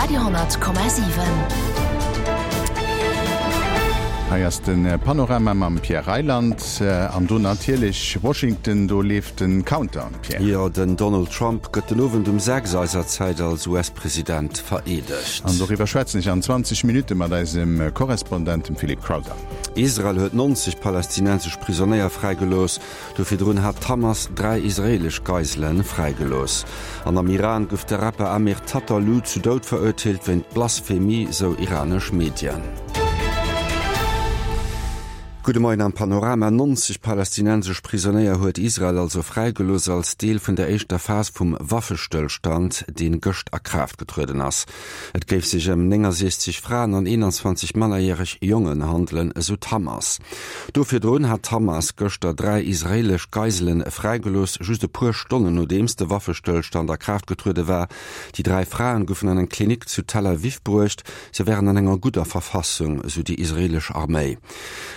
Radio 10,7. Hei ass de Panorama mam Pierre Reyland an do natierlech Washington, do leeft de Countdown, Pierre. Jo, den Donald Trump gëtt den Owend um 6 eiser Zäit als US-President vereedegt. An doriwwer schwätzen ech an 20 Minutte mat eisem Korrespondent, dem Philippe Crowther. Israel huet 90 palästinensesch Prisonéier fräigelooss. Do virdrun hat d'Hamas 3 israeelesch Geisele fräigelooss. An am Iran gouf de Rapper Amir Tataloo zu Doud verurteelt wéint Blasphemie, sou iranesch Medien. Gudde Moien am Panorama. 90 palästinensesch Prisonéier huet Israel also fräigelooss als Deel vun der éischter Phas vum Waffestëllstand, dee gëscht a Kraaft getrueden ass. Et géif sech ëm 69 Fraen an 21 mannerjäreg Jongen handelen, esou d'Hamas. Do virdrun hat d'Hamas gëschter 3 israeelesch Geiselen fräigelooss, just e puer Stonnen nodeems de Waffestëllstand a Kraaft getruede war. Déi 3 Fraen goufen an eng Klinik zu Tel Aviv bruecht. Se wären an enger gudder Verfassung, esou déi israeelesch Arméi.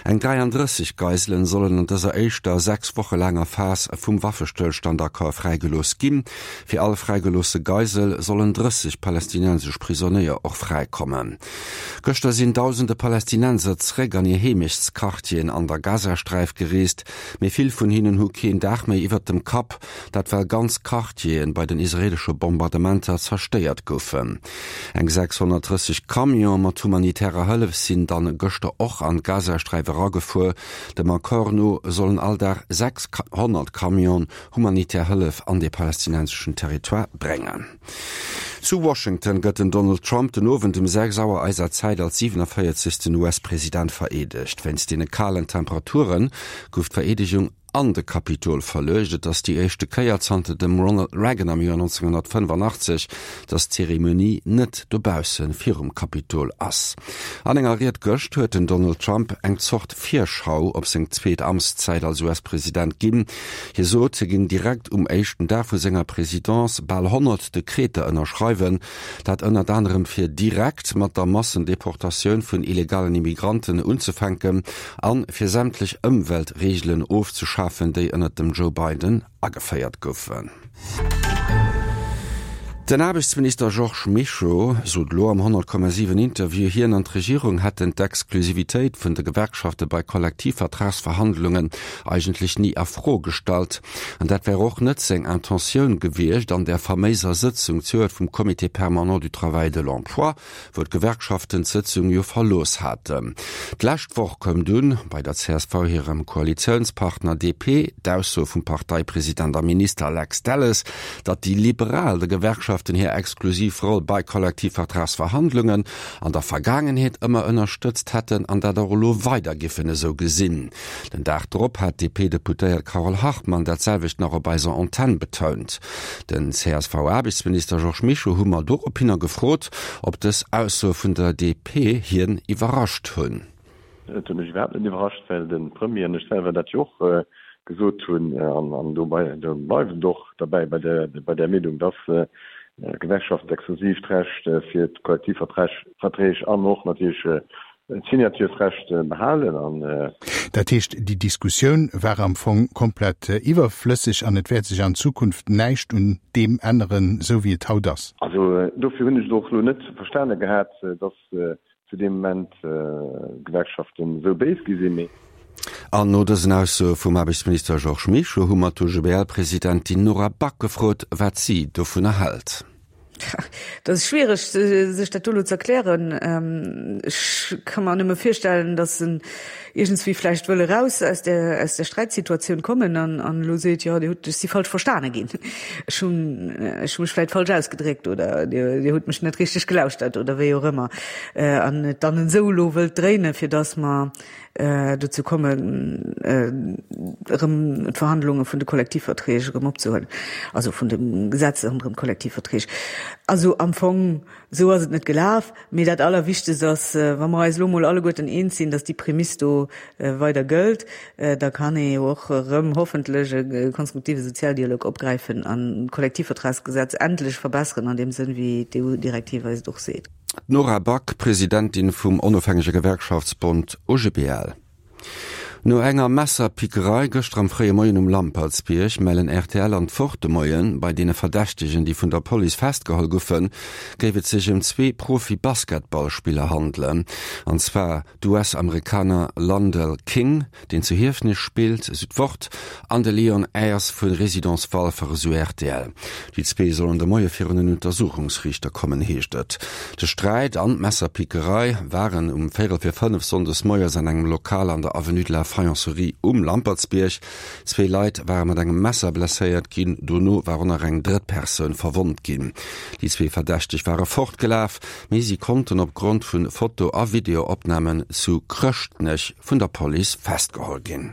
Eng 33 Geiselen sollen an dëser éischter 6 Woche laanger Phas vum Waffestëllstandaccord fräigelooss ginn. Fir all fräigeloosse Geisel sollen 30 palästinensesch Prisonéier och fräikommen. Gëschter sinn dausende Palästinenser zeréck an hir Heemechtsquartieren an der Gazasträif gereest, mee vill vun hinnen hu keen Daach méi iwwert dem Kapp, dat well ganz Quartieren bei den israeelesche Bombardementer zerstéiert goufen. Eng 630 Camione mat humanitärer Hëllef sinn dann gëschter och an d'Gazasträif eragefuer. Dem Accord no sollen all Dag 600 Camionen humanitär Hëllef an de palästinenseschen Territoire bréngen. Zu Washington gëtt den Donald Trump den Owend um 6 Auer eiser Zäit als 47. US-President vereedegt. Wéinst deene kalen Temperature gouf d'Vereedegung an de Kapitol verluecht. Et ass déi éischte Kéier zanter dem Ronald Reagan am Joer 1985, datt d'Zeremonie net dobausse virum Kapitol ass. An enger Ried gëscht huet den Donald Trump eng Zort Virschau op seng zweet Amtszäit als US-President ginn. Hie sot, hie géing direkt um éischten Dag vu senger Presidence bal 100 Dekreter ënnerschreiwen, dat ënnert anerem fir direkt mat der Massendeportatioun vun illegalen Immigranten unzefänken an fir sämtlech Ëmweltreegelen ofzeschafen, déi ënnert dem Joe Biden ageféiert goufen. Den Aarbechtsminister Georges Mischo sot elo am 100,7 Interview, hien an d'Regierung hätten d'Exklusivitéit vun de Gewerkschafte bei Kollektivvertragsverhandlungen eigentlech ni a Fro gestallt. An dat wär och net seng Intentioun gewiescht an där faméiser Sëtzung zejoert vum Comité permanent du travail et de l'emploi, wou d'Gewerkschaften d'Sëtzung jo verlooss haten. D'lescht Woch koum dunn bei der csv hirem Koalitiounspartner DP d'Ausso vum Parteipresident a Minister Lex Delles, datt déi Liberal de Gewerkschaften hir exklusiv Roll bei Kollektivvertragsverhandlungen an der Vergaangenheet ëmmer ënnerstëtzt hätten an dat och elo weider giffen esou gesinn. Den Dag drop hat d'DP-Deputéiert Carole Hartmann dat selwecht nach op eiser Antenn betount. Den CSV-Aarbechtsminister Georges Mischo hu mer dorophinner gefrot, ob dës Aussoe vun der DP hien iwwerrascht hunn. Et huet mech iwwerhaapt net iwwerrascht, well de Premier an ech selwer dat jo och gesot hunn, an do bleiwen et och derbäi bei där Meenung, dass d'Gewerkschaften d'exklusiivt Recht fir d'Kollektivverträg an och natierlech D'Signaturesrecht behalen an. Dat heescht, déi Diskussioun war am Fong komplett iwwerflësseg an et wäert sech an Zukunft näischt un deem änneren, esou wéi et haut ass. Also dofir hunn ech et och elo net verstane gehat, dass zu deem Moment d'Gewerkschaften esou béis gi sinn. Mee. An no dësen Aussoe vum Aarbechtsminister Georges Mischo hu mer d'OGBL-Presidentin Nora Back gefrot, wat si dovunner hält. Dat ass schwiereg, sech dat do elo ze erklären. Ech ka mer nëmme virstellen, datt en iergendswéi vläicht wëll eraus aus där, aus där Sträitsituatioun kommen an, an elo seet, jo, Dir hutt, ech si falsch verstane ginn, ech hunn, ech hu mech vläicht falsch ausgedréckt oder Dir, Dir hutt mech net richteg gelauschtert oder wéi och ëmmer an et dann esou elo wëllt dréinen, fir datt mer dozou kommen, erëm d'Verhandlunge vun de Kollektivverträg erëm opzehuelen, also vun de Gesetzer ronderëm d'Kollektivverträg. Also am Fong, esou ass et net gelaf. Mee dat Allerwichtegst ass, wa mer eis elo emol alleguerten eens sinn, datt déi Prämiss do weider gëllt, da kann ee jo och erëm hoffentlech e konstruktive Sozialdialog opgräifen an d'Kollektivvertragsgesetz endlech verbesseren an deem Sënn, wéi d'EU-Direktiv eis et och seet. D'Nora Back, Presidentin vum onofhängege Gewerkschaftsbond OGBL. No enger Messerpickerei gëschter am fréie Moien um Lampertsbierg mellen rtl an d'Wort de Moien, bei deene Verdächtegen, déi vun der Police festgeholl goufen, géif et sech ëm zwee Profi-Basketballspiller handelen, an zwar d'US-Amerikaner Landell King, deen zu Hiefenech spillt, esou d'Wort, an de Leon Ayers vu Résidence Walfer, esou rtl. Déi zwee sollen de Moie virun en Untersuchungsriichter kommen, heescht et. De Sträit an d'Messerpickerei waren um véierel vir 5 sonndes moies an engem Lokal an der Avenue de la Faïencerie um Lampertsbierg. Zwee Leit ware mat engem Messer blesséiert ginn, dono war och nach eng drëtt Persoun verwonnt ginn. Déi zwee Verdächteg ware fortgelaf, mee si konnten opgrond vu Foto a Videoopnamen zu Chrëschtnech vun der Police festgeholl ginn.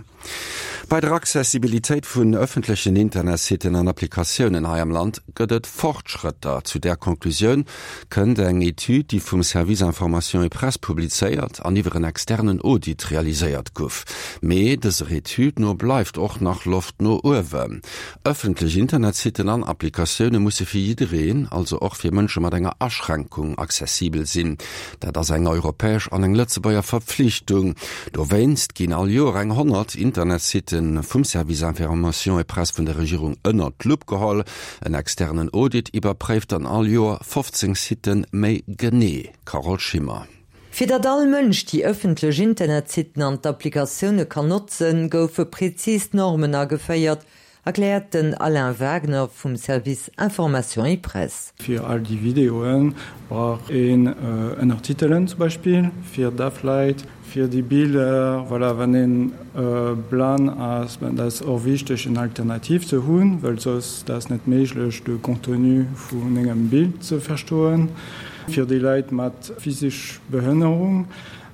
Bei der Accessibilitéit vun ëffentlechen Internetsitten an Applikatiounen hei am Land gëtt et Fortschrëtter. Zu där Conclusioun kënnt eng Etüd, déi vum Service Information et Presse publizéiert an iwwer en externen Audit realiséiert guff. Mee dëser Etüd no bleift och nach Loft no uewen. Ëffentlech Internetsitten an Applikatioune musse fir jiddereen, also och fir Mënsche mat enger Aschränkung, accessibel sinn. Dat ass eng europäesch an eng Lëtzebuerger Verpflichtung. Dowéinst ginn all Joer eng 100 Internetsitte vum Service Information et Presse vun der Regierung ënnert d'Lupp geholl. En externen Audit iwwerpréift dann all Joer 15 Sitte méi genee. Carole Schimmer. Fir datt all Mënsch déi ëffentlech Internetsitten an d'Applikatioune kann notzen, goufe prezis Normen ageféiert, erkläert den Alain Wagner vum Service Information et Presse. Fir all déi Videoe brauch een Ënnertitelen zum Beispill fir daf Leit, fir déi Biller, voilà, wann een blann ass, dat ass och wichteg en Alternativ ze hunn, well soss dat ass net méiglech de Contenu vun engem Bild ze verstoen. Fir déi Leit mat physesch Behënnerung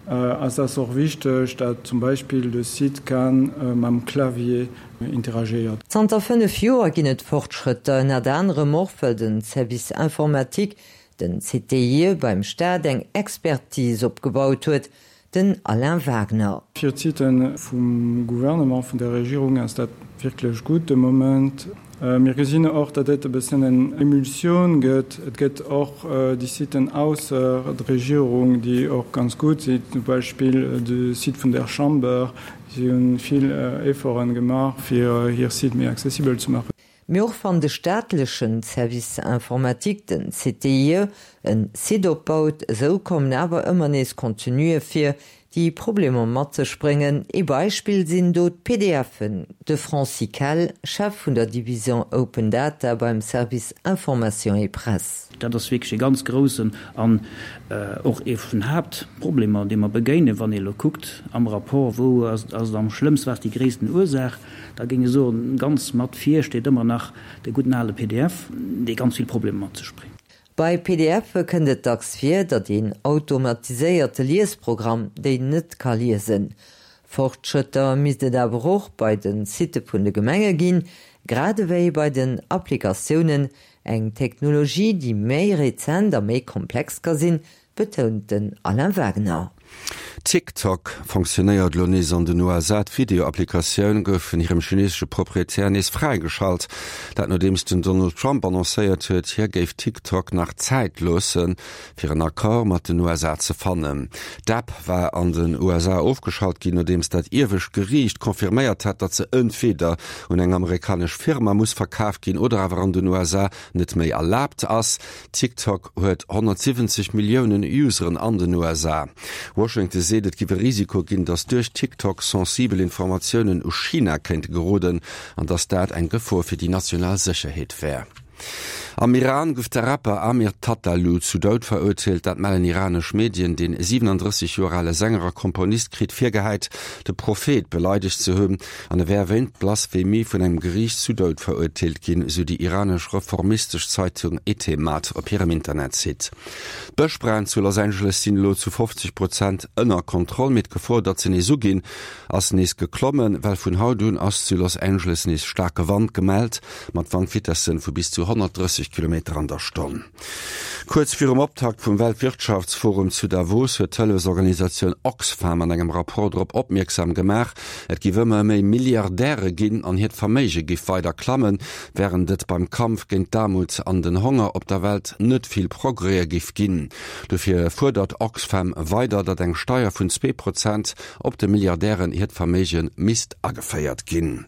ass ass och wichteg, dat zum Beispill de Site kann mam Clavier interagéiert. Zanter 5 Joer ginn et Fortschrëtter, ënnert anerem och well de Service informatique, den CTIE, beim Staat eng Expertise opgebaut huet, Den Alain Wagner. Fir d'Siten vum Gouvernement, vun der Regierung ass dat wierklech gutt de Moment. Mir gesinn och, datt et e bëssen eng Emulsioun gëtt. Et gëtt och déi Siten ausser der Regierung, déi och ganz gutt sinn, zum Beispill de Site vun der Chamber. Si hu vill Efforten gemaach, fir hir Site méi accessibel ze maachen. Mee och wann de staatlechen Service informatique, den CTIE, en Site opbaut, esou kommen awer ëmmer nees Contenue vir, déi Problemer mat sech bréngen. Ee Beispill sinn do d'PDFen. De Francis Kell, Chef vun der Division Open Data beim Service Information et Presse. Dat ass wierklech e ganz groussen an och ee vun den Haaptproblemer, deem mer begéinen, wann ee elo kuckt am Rapport, wou ass et am schlëmmst, wat ass déi gréissten Ursaach. Da géing ech soen, ganz mat vir steet ëmmer nach de gudden ale pdf, dee ganz vill Problemer mat sech bréngt. Bei PDFe kënnt et dacks vir, datt een automatiséierte Liesprogramm déi net ka liesen. Fortschrëtter misst et awer och bei de Sitte vun de Gemenge ginn, grad ewéi bei den Applikatiounen, eng Technologie, déi méi rezent a méi komplex ka sinn, betount den Alain Wagner. TikTok fonctionnéiert elo nees an den USA. D'Video-Applikatioun gouf vun hirem chineesesche Proprietär nees fräigeschalt. Dat nodeems den Donald Trump annoncéiert huet, hie géif TikTok nach Zäit loossen, fir en Accord mat den USA ze fannen. D'App war an den USA ofgeschalt ginn, nodeems dat iewescht Geriicht confirméiert hat, datt se entweeder un eng amerikanesch Firma muss verkaf ginn oder awer an den USA net méi erlaabt ass. TikTok huet 170 Milliounen Useren an den USA. Washington seet, et giff e Risiko ginn, datt duerch TikTok sensibel Informatiounen u China kéinte geroden an datt dat eng Gefor fir déi national Sécherheet wär. Am Iran gouf de Rapper Amir Tataloo zu Doud verurteelt, dat mellen iranesch Medien. Den 37 Joer ale Sänger a Komponist kritt virgehäit, de Prophet beleidegt ze hunn. An e wär wéint Blasphemie vun engem Geriicht zu Doud verurteelt ginn, sou déi iranesch reformistesch Zeitung Etemad op hirem Internetsite. D'Bëschbränn zu Los Angeles sinn elo zu 50 Prozent ënner Kontroll, mee d'Gefor, datt se nees uginn, ass nees geklommen, well vun haut un ass zu Los Angeles nees staarke Wand gemellt, mat Wandvitessen vu bis zu 130. 130 Kilometer an der Stonn. Kuerz virum Optakt vum Weltwirtschaftsforum zu Davos huet d'Hëllefsorganisatioun Oxfam an engem Rapport drop opmierksam gemaach, et giff ëmmer méi Milliardäre ginn an hiert Verméige giff weider klammen, wärend et beim Kampf géint d'Aarmut an den Honger op der Welt net vill Progrèse giff ginn. Dofir fuerdert Oxfam weider, datt eng Steier vun 2 Prozent op de Milliardären hiert Verméige misst ageféiert ginn.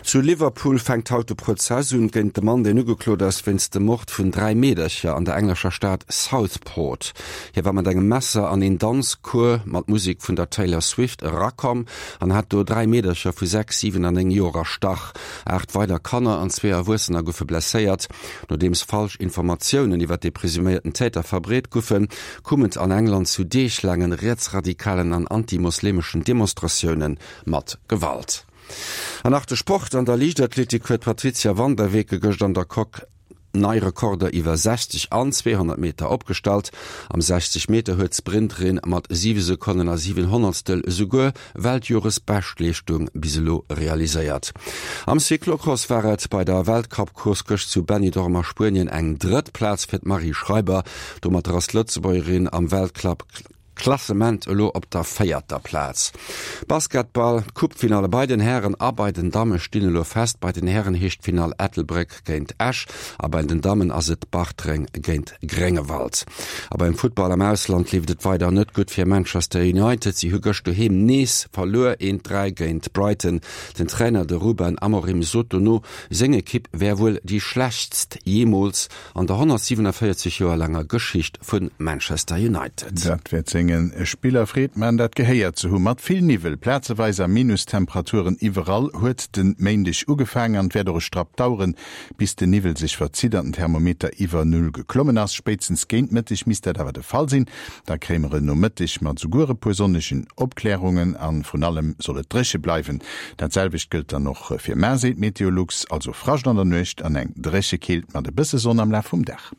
Zu Liverpool fänkt haut de Prozess un géint de Mann, deen ugeklot ass wéinst dem Mord vun 3 Meedercher an der englescher Stad Southport. Hie war mat engem Messer an een Danzcours mat Musek vun der Taylor Swift erakomm an hat do 3 Meedercher vu 6, 7 an 9 Joer erstach. 8 weider Kanner an zwee Erwuessener goufe blesséiert. Nodeems falsch Informatiounen iwwer de presuméierten Täter verbreet goufen, koum et an England zu deeglaangen rietsradikalen an anti-moslemeschen Demonstratioune mat Gewalt. An nach de Sport, An der Liichtathletik huet d'Patrizia van der Weken gëscht an der Coque nei Rekorder iwwer 60 an 200 Meter opgestallt. Am 60 Meter huet d'Sprinterin mat 7 Sekonnen a 7 Honnertstel esouguer Weltjoresbeschtleeschtung bis elo realiséiert. Am Cyclocross war et bei der Weltcup-Course gëscht zu Benidorm a Spuenien eng drëtt Plaz fir d'Marie Schreiber. Domatter ass d'Lëtzebuergerin am Weltcup Klassement elo op der véierter Plaz. Basketball, D'Coupe-Finalle bei den Hären a bei den Damme stinn elo fest. Bei den Hären heescht d'Finall Ettelbréck géint Esch a bei den Dammen ass et Bartreng géint Gréngewald. A beim Futtball am Ausland leeft et weider net gutt fir Manchester United. Si hu gëscht doheem nees verluer, 1, 3 géint Brighton. Den Trainer, de Ruben Amorim, sot dono, seng Ekipp wär wuel déi schlechtst jeemools an der 147 Joer laanger Geschicht vu Manchester United. Dat wäert senge Spiller Freed man, dat gehéiert ze hu. Mat vill Niwwel, plazeweis a Minustemperaturen iwwerall huet de Méindeg ugefaangen an et wäert och e Strapp daueren, bis den Niwwel sech verzitt an den Thermometer iwwer Null geklommen ass. Spéitstens géint Mëtteg misst dat awer de Fall sinn. Da kréie mer en Nomëtteg mat esouguer e puer sonnegen Opklärungen a vrun allem soll et dréche bleiwen. Dat selwecht gëllt dann och fir mar, seet Meteolux, also Frascht an der Nuecht an eng dréche Keelt mat e bësse Sonn am Laf vum Dag.